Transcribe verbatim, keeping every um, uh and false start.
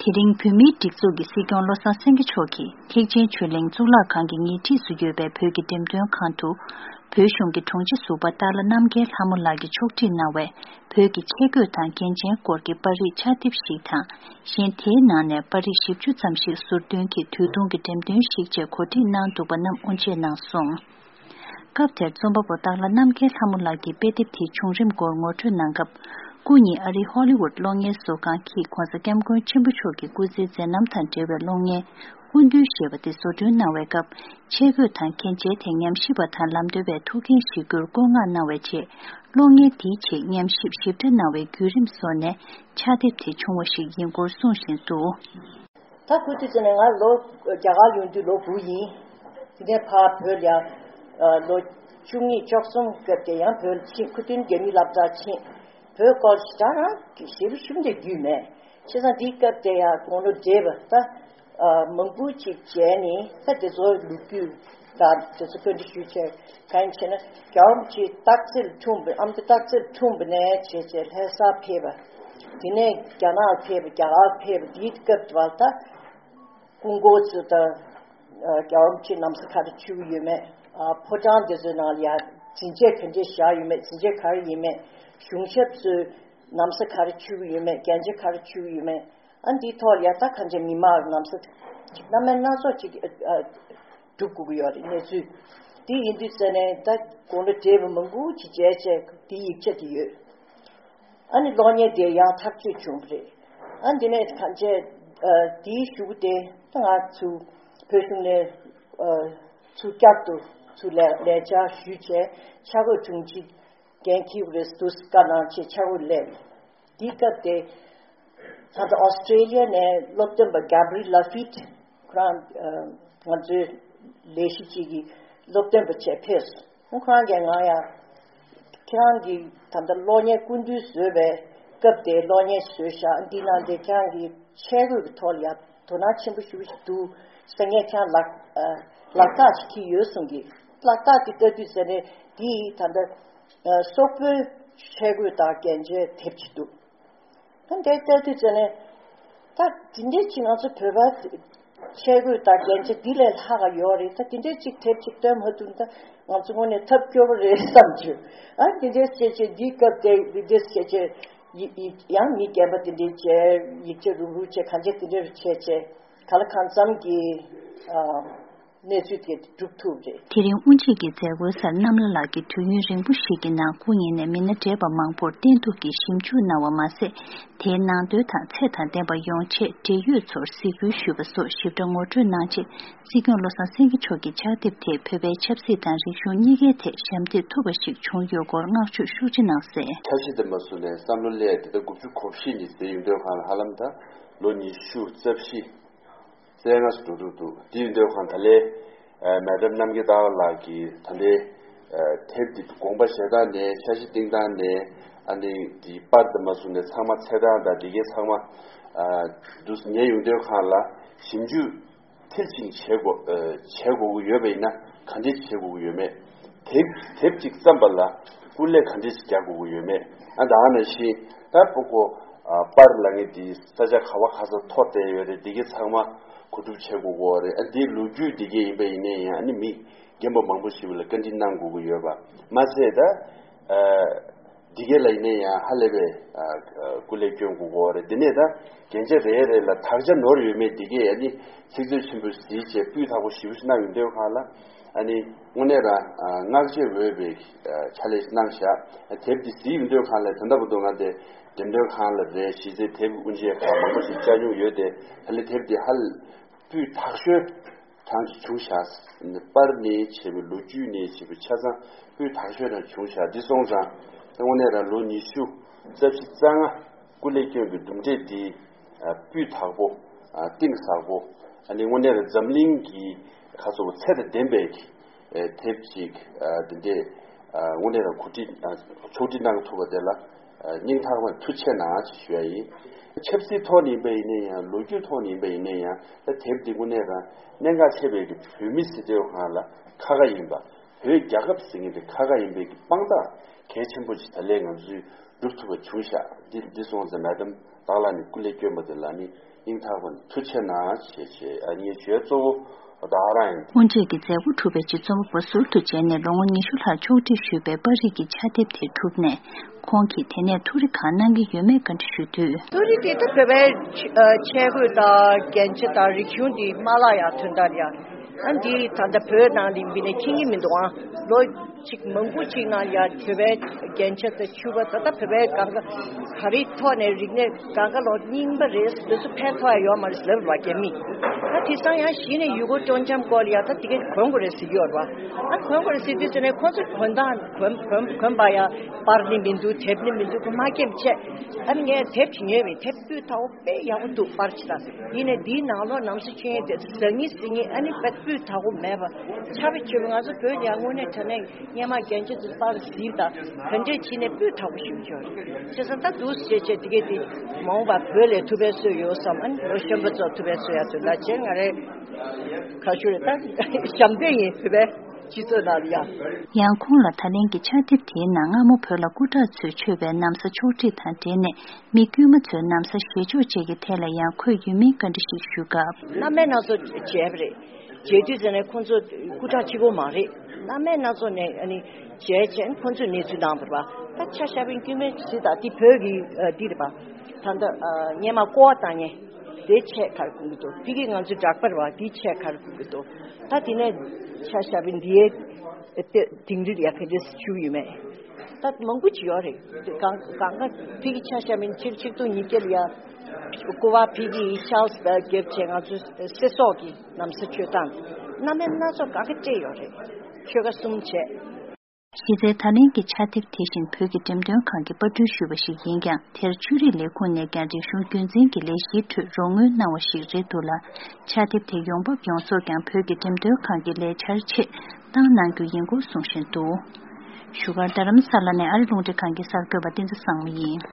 དེ་རིང་བོད་མིའི་སྒྲིག་འཛུགས་ཀྱི་སྲིད་སྐྱོང་བློ་བཟང་སེང་གེ་མཆོག་གིས་ཐེག་ཆེན་ཆོས་གླིང་གཙུག་ལག་ཁང་གི་ཉེ་འཁྲིས་སུ་ཡོད་པའི་བོད་ཀྱི་འགྲེམས་སྟོན་ཁང་དུ། བོད་གཞུང་གི་དྲུང་ཆེ་ཟུར་པ་སྟག་ལྷ་རྣམ་རྒྱལ་ལྷ་མོ་ལགས་ཀྱིས་ཕྱོགས་སྒྲིག་གནང་བའི་བོད་ཀྱི་ཆས་གོས་དང་རྒྱན་ཆའི་སྐོར་གྱི་པར་རིས་ཕྱག་དེབ་ཞིག་དང་། གཞན་དེའི་ནང་ནས་པར་རིས་བཞི་བཅུ་ཙམ་ཞིག་ཟུར་འདོན་གྱིས་དུས་ཐུང་གི་འགྲེམས་སྟོན་ཞིག་བཅས་གོ་སྒྲིག་གནང་འདུག་པ་རྣམས་དབུ་འབྱེད་གནང་སོང་། སྐབས་དེར་རྩོམ་པ་པོ་སྟག་ལྷ་རྣམ་རྒྱལ་ལྷ་མོ་ལགས་ཀྱིས་དཔེ་དེབ་དེའི་བྱུང་རིམ་སྐོར་ངོ་སྤྲོད་གནང་སྐབས། སྐུ་ཉིད་ཨ་རིའི་ཧོ་ལི་ཝུད་གློག་བརྙན་བཟོ་ཁང་གིས་༧གོང་ས་༧སྐྱབས་མགོན་ཆེན་པོ་མཆོག་གི་སྐུ་ཚེའི་མཛད་རྣམ་དང་འབྲེལ་བའི་གློག་བརྙན་སྐུ་མདུན་ཞེས་པ་དེ་བཟོ་སྐྲུན་གནང་བའི་སྐབས། ཆས་གོས་དང་རྒྱན་ཆའི་ཐད་ཉམས་ཞིབ་པ་དང་ལམ་སྟོན་པའི་ཐུགས་འགན་བཞེས་རྒྱུར་བཀོད་མངགས་གནང་བའི་རྗེས། གློག་བརྙན་དེའི་ཆེད་ཉམས་ཞིབ་ཞིབ་ཕྲ་གནང་བའི་བརྒྱུད་རིམ་སོགས་ནས་ཕྱག་དེབ་དེ་བྱུང་བ་ཞིག་ཡིན་སྐོར་གསུངས་བཞིན་འདུག། ད་ཁོ་དུས་ཚོད་ནས་ང་ལོ་རྒྱ་གར་ཡོང་དུས་ལོ་དགུ་ཡིན། དེ་ནས་ཕར་བོད་ལ་ཡང་ལོ་བཅུ་གཉིས་བཅུ་གསུམ་སྐབས་དེ་ཡང་བོད་ཕྱིན། ཁུ་ཏིན་རྒྱ་མིའི་སློབ་གྲྭར་ཕྱིན། བོད་སྐོར་ཞེ་དྲག་རང་གི་ཞེ་པོ་ཞུམ་དེ་རྒྱུས་མེད། བྱས་ཙང་འདིའི་སྐབས་དེ་ཡང་དགུང་ལོ་བགྲེས་པ་ད་མང་པོ་ཅིག་བྱས་ནས་ད་དེ་ཚོ་ལོ་རྒྱུས་དང་དེ་ཚོ་བཀའ་འདྲི་ཞུས་བྱས། གང་ཡིན་ཟེར་ན་རྒྱལ་བ་རིན་པོ་ཆེ་སྟག་རྩེ་ལ་འཁྲུངས་པའི་ཨ་མདོ་སྟག་རྩེ་ལ་འཁྲུངས་པ་ནས་བྱས་བྱས་ལྷ་སར་ཕེབས་པ། དེ་ནས་རྒྱ་ནག་ལ་ཕེབས་པ། རྒྱ་གར་ཕེབས་པ། དེའི་སྐབས་དེ་བར་ད། སྐུ་འཁོར་ཚོ་དང་། རྒྱལ་བ་རིན་པོ་ཆེ་ན་བཟའ་ག་རེ་མཆོད་ཀྱི་ཡོད་མེད། ཕོ་བྲང་དེ་ཚོའི་ནང་ལ་ཡང་འཛིན་ཆས་ག་འདྲས་བཞག་ཡོད་མེད། འཛིན་ཆས་ག་རེ་ཡིན་མེད། གཞུང་ཞབས་ཚོས་ན་བཟའ་ག་རེ་མཆོད་ཀྱི་ཡོད་མེད། རྒྱན་ཆ་ག་རེ་མཆོད་ཀྱི་ཡོད་མེད། ཨ་འདིའི་ཐོག་ལ་ཡང་ད་གང་ཅི་མི་མང་ན་བཟའ་ཅིག་སྣ་མིན་སྣ་ཚོགས་ཅིག་སྒྲུབ་དགོས་ཀྱི་ཡོད་རེད། གནས་ཚུལ་འདི་ཡིན་དུས་ཙ་ནས་ད་དགུང་ལོ་བགྲེས་པ་མང་པོ་ཅིག་བྱས་བྱས་འདིའི་ཡིག་ཆ་དེ་ཡོད། ཨ་ནི་གློག་བརྙན་དེ་ཡང་ཐག་གཅོད་བྱུང་བ་རེད། ཨ་འདི་ནས་གང་བྱས། ཨ་དེའི་གཞུག་གུ་དེ་ད་ང་ཚོ་བོད་གཞུང་ནས་ཨ་ཚུར་བསྐྱར་དུ་ཚུར་ལས་ལས་བྱ་ཞུས་བྱས་ཆ་བགོས་དྲུང་ཆེ་འགན་འཁྱེར་དགོས་རེད་འདུག་བཀའ་གནང་བྱས་ཆ་བགོས་སླེབས། དེའི་སྐབས་དེ་ད་ལྟ་ཨོ་སི་ཀྲེ་ལི་ཡ་ནས་སློབ་སྟོན་པ་Gabriel Lafitte། ཁོ་རང་ཨ་ང་ཚོའི་ལས་གཞི་གཅིག་གི་སློབ་སྟོན་པ་བྱས་ཕེབས་སོང་། ཁོ་རང་གིས་ང་ཡང་ཁྱེད་རང་གིས་ད་ལྟ་གློག་བརྙན་སྐུ་མདུན་བཟོས་པའི་སྐབས་དེའི་གློག་བརྙན་བཟོས་ཤག་འདི་ནང་དེ་ཁྱེད་རང་གིས་ཆས་གོས་ཀྱི་ཐོག་ལ་ཡང་དོ་སྣང་ཆེན་པོ་ཞེ་པོ་ཞིག་འདུག་ཟེར། ངས་ཁྱེད་རང་ལག་ཨ་ལག་རྟགས་ཅིག་འཁྱེར་ཡོད་གསུང་གི། ལག་རྟགས་དེ་ལྟ་དུས་ཟེར་ནས་འདི་ད་ལྟ་ཨ་སོག་པོའི་ཆས་གོས་དང་རྒྱན་ཆའི་དེབ་ཅིག་འདུག་ད་འདིར་ལྟ་དུས་ཙ་ནས་ད་འདི་འདྲའི་ཅིག་ང་ཚོ་བོད་པ་ཆས་གོས་དང་རྒྱན་ཆ་འདི་ལས་ལྷག་ག་ཡོད་རེད། ད་འདི་འདྲའི་ཅིག་དེབ་ཅིག་སྟོན་མ་ཐུབ་ན་ད་ང་ཚོ་དངོས་གནས་ཐབས་སྐྱོ་པོ་རེད་བསམ་བྱུང་། ཨ་འདི་འདྲའི་བྱས་བྱས་འདིའི་སྐབས་དེ་འདི་འདྲའི་བྱས་བྱས་ཡི་ཡི་ཡང་མི་རྒན་པ་འདི་འདྲའི་བྱས་ཡིག་ཆ་རུག་རུག་བྱས་གང་བྱས་འདི་འདྲའི་བྱས་བྱས་ག་ལ་གང་འཚམ་གྱི་ཨ། གནས་ཚུལ་དེ་སྒྲུབ་ཐུབ་རེད། དེ་རིང་དབུ་འབྱེད་ཀྱི་མཛད་སྒོའི་སར་གནམ་ལྷ་ལགས་ཀྱིས་དུས་ཡུན་རིང་པོ་ཞིག་གི་ནང་སྐུ་ཉིད་ནས་མི་སྣ་བགྲེས་པ་མང་པོར་བསྟེན་གཏུག་གིས་ཞིབ་འཇུག་གནང་བ་མ་ཟད། དེའི་ནང་དོན་དང་ཚད་དང་ལྡན་པ་ཡོང་ཆེད་འབྲེལ་ཡོད་ཚོར་གཟིགས་སྐུལ་ཞུས་པ་སོགས་ཞིབ་ཕྲ་ངོ་སྤྲོད་གནང་རྗེས། སྲིད་སྐྱོང་བློ་བཟང་སེང་གེ་མཆོག་གིས་ཕྱག་དེབ་དེས་བོད་པའི་ཆབ་སྲིད་དང་རིག་གཞུང་གཉིས་ཀའི་ཐད་ཞབས་འདེགས་ཐུབ་པ་ཞིག་བྱུང་ཡོད་སྐོར་བསྔགས་བརྗོད་ཤུགས་ཆེ་གནང་གསལ། འཆར་གཞི་དེ་མ་བཟོ་ནས་བསམ་བློ་སླེབས་དེ་ལྟར་དགུ་བཅུ་གོ་བཞི་ནས་ཟེར་ཡོང་དུས་སྒང་ལ་ཧ་ལམ་ད་ལོ་ཉི་ཤུ་རྩ་བཞི། བཙན་ང་སུ་འགྲོ་འགྲོ་འདུག་དེ་ཡིན་དུས་སྒང་ད་ལས་མེ་ཌམ་རྣམ་རྒྱལ་སྟག་ལགས་ཀྱིས་ད་ལྟའི་དེབ་འདི་དགོངས་པ་བཞེས་སྟངས་ནས་འཆར་གཞི་བཏིང་སྟངས་ནས་ཨ་ནི་འདི་པར་དུ་མ་བཟུང་ནས་ཚང་མ་ཚད་སྟངས་དང་འདི་གའི་ཚང་མ་འདུག་ཉན་ཡོང་དུས་སྒང་ལ་ཞིབ་འཇུག་མཐིལ་ཕྱིན་བྱེད་དགོས་བྱེད་དགོས་ཀྱི་ཡོད་པ་ཡིན་ན་ག་འདྲས་བྱེད་དགོས་ཀྱི་ཡོད་མེད། དེབ་དེབ་ཅིག་བརྩམས་པ་ལ་སྐུ་ལས་ག་འདྲས་ཅིག་རྒྱག་དགོས་ཀྱི་ཡོད་མེད། ཨ་ད་ནང་བཞིན་ད་ཕྲུ་གུ་ཨ་པར་ལ་ངས་འདི་ས་ཆ་ག་བ་ག་ས་ཐོག་བསྡད་ཡོད་རེད། འདི་གའི་ཚང་མ་གོ་སྒྲུབ་བྱེད་དགོས་ཀྱི་ཡོད་རེད། ཨ་འདིའི་ལོ་རྒྱུས་འདི་གའི་ཡིན་པ་ཡིན་ནའི་ཡང་ཨ་ནི་མི་རྒན་པ་མང་པོ་ཞིག་ལ་བཀའ་འདྲི་གནང་དགོས་ཀྱི་ཡོད་པ་མ་ཚད་ད་ཨ་འདི་གའི་ལ་ཡིན་ནའི་ཡང་ཧ་ལས་པའི་ཨ་ཨ་སྐུ་ལས་སྐྱོན་དགོས་ཀྱི་ཡོད་རེད། འདི་ནས་ད་རྒྱན་ཆ་རེ་རེ་ལ་དག་ཆ་ནོར་ཡོད་མེད་འདི་གའི་ཨ་ནི་ཚིག་མཛོད་ཆེན་པོ་གཟིགས་བྱས་སྤུས་དག་པོ་ཞེ་པོ་ཞིག་གནང་ཡོང་དུས་སྒང་ལ། ཨ་ནི་དངོས་གནས་རང་བསྔགས་བརྗོད་འོས་པའི་ཕྱག་ལས་གནང་བཞག་དེབ་འདི་གཟིགས་ཡོང་དུས་སྒང་ལ་ད་ལྟ་བར་དུ་ང་དེ་འགྲེམས་སྟོན་ཁང་ལ་རེད། གཞི་རྩའི་དེབ་དབུ་འབྱེད་ཁང་མང་པོ་ཞིག་བཅར་མྱོང་ཡོད་དེ། ད་ལྟ་དེབ་འདི་ཧ་ལས་སྤུས་དག་ཤོས་གྲངས་ཀྱི་བྱུང་བཞག་པར་ནས་བྱས་པའི་ལོ་རྒྱུས་ནས་བྱས་པའི་ཆ་ཚང་སྤུས་དག་ཤོས་རང་བྱུང་བཞག་འདི་སོང་ཙང་དངོས་གནས་རང་ལོ་ཉི་ཤུ་རྩ་བཞི་རྩ་ལྔ་སྐུ་ལས་སྐྱོན་པའི་གྲུབ་འབྲས་འདི་སྤུས་དག་པོ་གཏིང་ཟབ་པོ་ཨ་ནི་དངོས་གནས་རང་འཛམ་གླིང་གི་ཁ་སོ་ཚད་དང་ལྡན་པའི་དེབ་ཅིག་འདི་འདྲས་དངོས་གནས་རང་གོ་སྒྲིག་ཕྱོགས་སྒྲིག་གནང་ཐུབ་པ་དེ་ལ་སྙིང་ཐག་པ་ཐུགས་རྗེ་ཆེ་གནང་ཞེས་ཞུ་ཡ་ཡིན། ཆབ་སྲིད་ཐོག་ནས་ཡིན་པ་ཡིན་ན་ཡང་ལོ་རྒྱུས་ཐོག་ནས་ཡིན་པ་ཡིན་ན་ཡང་ད་དེབ་འདི་དངོས་གནས་རང་གནད་འགག་ཆེ་བའི་གི་བོད་མི་སྲིད་དོན་སྒང་ལ་ཁ་ཁ་ཡིན་པ། བོད་རྒྱལ་ཁབ་ཟེར་མཁན་དེ་ཁ་ཁ་ཡིན་པའི་གི་དཔང་རྟགས་གལ་ཆེན་པོ་ཅིག་ད་ལས་ང་ཚོས་སྒྲུབ་ཐུབ་པ་བྱུང་ཤག་འདི་འདི་སོང་ཙང་མེ་ཌམ་སྟག་ལྷ་ནས་སྐུ་ལས་བསྐྱོན་པ་དེ་ལ་ནི་ སྙིང་ཐག་པ་ནས་ཐུགས་རྗེ་གནང་ཞེས་བྱས་ཨ་ངའི་བརྗོད་གཙོ་བོ་བདག་རང་ཡིན། དབུ་འབྱེད་ཀྱི་མཛད་སྒོ་གྲུབ་པའི་རྗེས་རྩོམ་པ་པོ་ཟུར་དུ་བྱས་ནས་ལོ་ངོ་ཉི་ཤུ་ལྷག་ཕྱོགས་སྒྲིག་ཞུས་པའི་པར་རིས་ཀྱི་ཕྱག་དེབ་དེ་གྲུབ་ནས། ཁོང་གིས་དེ་ནས་ཐུགས་རེ་གང་གནང་གི་ཡོད་མེད་བཀའ་འདྲི་ཞུས་དུས། ཐུགས་རེ་དེ་ད་བོད་པའི་ཆས་གོས་དང་རྒྱན་ཆ་དང་རིག་གཞུང་འདི་མ་བརླག་ཡ་དོན་དག་ཡ། ཨ་འདི་ད་ལྟ་བོད་ནང་ལ་ཡིན་པ་ནས་མཁྱེན་གྱི་མི་འདུག་ཨ་ལོ་གཅིག་མང་པོ་གཅིག་ནང་ཡ་བོད་པའི་རྒྱན་ཆ་དང་ཕྱུ་པ་ད་ལྟ་བོད་པའི་གང་ག་ག་རེའི་ཐོག་ནས་རིག་གནས་གང་ག་ལོ་རྙིང་པ་རེད། དེ་ཚོ་ཕན་ཐོགས་ཡ་ཡོད་མ་རེད་ཟེར་ལབ་ར་རྒྱ་མི། ད་དེང་སང་ཡང་གཞི་ནས་ཡུལ་སྐོར་སྤྲོ་འཆམ་སྐོར་ལ་ཡ་ད་དེ་གས་གོན་དགོས་རེད་ཟེར་གྱི་ཡོད་རེད་བ། ཨ་གོན་དགོས་རེད་ཟེར་དུས་ཙམ་ནས་ཁོ་ཚོས་གོན་སྟངས་གོན་གོན་གོན་པ་ཡ་པར་ནི་མི་འདུག་དེབ་ནི་མི་འདུག་ཁོ་མ་སྐྱེམས་བྱས། ཨ་ནི་ངས་དེབ་ཅིག་ཉོས་པས་དེབ་སྤུས་དག་པོ་དཔེ་ཡག་པོ་འདུག་པར་ཅིག་དང་ཡིན་ནས་འདིའི་ནང་ལོགས་ནམ་སྲི་ཆོས་ཡིན་དེ་ཟ་ངེ་ཟི་ངེ་ཨ་ནི་དཔེ་སྤུས་དག་པོ་མེད་པ་ཆ་བའི་ཆོས་པ་ང་ཚོ་བོད་ལ་ཡང་དངོས་གནས་དྲང་གནས་སྔོན་མ་རྒྱན་ཆ་དེ་པར་གཟིགས་དང་ག་འདྲས་བྱས་ནས་སྤུས་དག་པོ་ཞིག་འབྱོར་བྱས་ཙང་ད་འདུག་སེ་བྱས་བྱས་དེ་གས་དེ་མ་འོངས་པ་བོད་ལ་ཐུག་པའི་སྲོལ་ཡོད་བསམ། ཨ་ནི་ལོ་གཞོན་པ་ཚོ་ཐུག་པའི་སྲོལ་ཡ་དོན་དག་བྱས་ང་རེ་ཁ་ཤུ་རེ་ད་ཞབས་འདེགས་ཡིན་བོད་པའི་སྤྱི་ཚོགས་ནང་ལ་ཡ། ཡང་ཁོང་ལ་ད་ལན་གྱི་ཕྱག་དེབ་དེའི་ནང་སྔ་མོ་བོད་ལ་སྐུ་དྲག་ཚོས་མཆོད་པའི་ན་བཟའ་ཕྱོགས་སྒྲིག་དང་འབྲེལ་ནས་མི་དཀྱུས་མ་ཚོའི་ན་བཟའ་བཞེས་ཕྱོགས་བཅས་ཀྱི་ཐད་ལ་ཡང་འཁོད་ཡོད་མིན་བཀའ་འདྲི་ཞིག་ཞུས་སྐབས། མནའ་མའི་སྣ་ཚོགས་བྱས་པ་རེད། བྱས་དུས་ཙམ་ནས་ཁོང་ཚོ་སྐུ་དྲག་གཅིག་པོ་མ་རེད། མནའ་མའི་སྣ་ཚོགས་ནས་ཨ་ནི་བྱས་བྱས་ཁོང་ཚོས་གནས་ཚུལ་གནང་བ་རེད་པ། ད་ཆ་བཞག་པའི་དཀྱུས་མའི་གཟི་དང་འདི་བོད་ཀྱི་འདི་རེད་པ། ད་ལྟ་སྔོན་མ་ཀོ་བ་བཏང་མཁན་དེ་ཆས་ག་རེ་གོན་གྱི་འདུག་ཕ་གི་ང་ཚོའི་འདྲ་པར་བ་འདི་ཆས་ག་རེ་གོན་གྱི་འདུག་ད་དེ་ནས་ཆ་བཞག་པའི་འདིའི་དིང་རི་ལ་ཡ་ག་འདྲས་བཞུགས་ཡོད་མེད། ད་མང་པོ་ཅིག་ཡོད་རེད། གང་གང་ག་ཕ་གི་ཆ་བཞག་པའི་ཕྱིར་ཆིག་སྟོང་ཉིས་བརྒྱ་ལ་ཡ་ཀོ་བ་ཕ་གི་ཡི་ཆཱལ་སི་བེལ་གྱིབ་བྱས་ང་ཚོའི་སེ་སོག་གི་ན་བཟའ་མཆོད་སྟངས་མནའ་མའི་སྣ་ཚོགས་གང་ག་སྤྲད་ཡོད་རེད། ཆོལ་ཁ་གསུམ་བྱས། གཞི་རྩའི་ད་ལན་གྱི་ཕྱག་དེབ་དེ་བཞིན་བོད་ཀྱི་འགྲེམས་སྟོན་ཁང་གིས་པར་སྐྲུན་ཞུས་པ་ཞིག་ཡིན་ཀྱང་། དེར་ཆོས་རིག་ལས་ཁུངས་ནས་ཀྱང་རིག་གཞུང་རྒྱུན་འཛིན་གྱི་ལས་གཞིའི་ཁྲོད་རོགས་དངུལ་གནང་བ་ཞིག་རེད་འདུག་ལ། ཕྱག་དེབ་དེ་ཡོང་འབབ་ཡོངས་རྫོགས་ཀྱང་བོད་ཀྱི་འགྲེམས་སྟོན་ཁང་གི་ལས་འཆར་ཆེད་བཏང་གནང་རྒྱུ་ཡིན་སྐོར་གསུང་བཞིན་འདུག་བཞུགས་སྒར་རྡ་རམ་ས་ལ་ནས་ཨ་རི་རླུང་འཕྲིན་ཁང་གི་གསར་འགོད་པ་བསྟན་འཛིན་བཟང་མོ་ཡིན།